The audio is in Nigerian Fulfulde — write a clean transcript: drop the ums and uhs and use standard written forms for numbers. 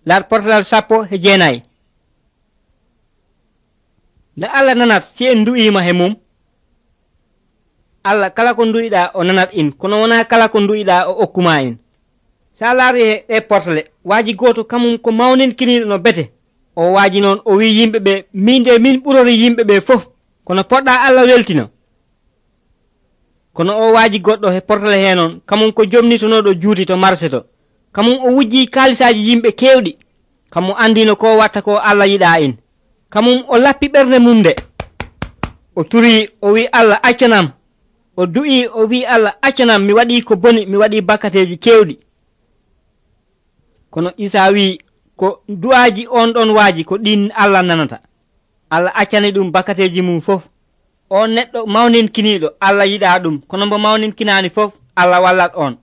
lar portalal 19. nde Allah nanat si en du'ima he mum, Allah kala ko du'iɗa o nanat in, kono wona kala ko du'iɗa o okkuma in. sa laari e portale waaji goto kamum ko mawninkiniɗo no bete, o waaji noon o wi yimɓeɓe min de min ɓurori yimɓeɓe fof, kono poɗɗa Allah weltino. kono o waaji goɗɗo he portale he noon kamum ko jomnitonoɗo juuti to marché to, kamum o wujji kaalisaji yimɓe kewɗi, kamum andino ko watta ko Allah yiɗa in. kamum o lappi ɓernde mum nde, o turi o wi Allah accanam, o du'i o wi Allah accanam, mi waɗi ko boni, mi waɗi bakkateji kewɗi. kono Isa wi ko du'aji on ɗon waaji ko ɗin Allah nanata. Allah accani ɗum bakkateji mum fof. on neɗɗo mawninkiniɗo Allah yiɗa ɗum, kono mbo mawninkinani fof Allah wallat on.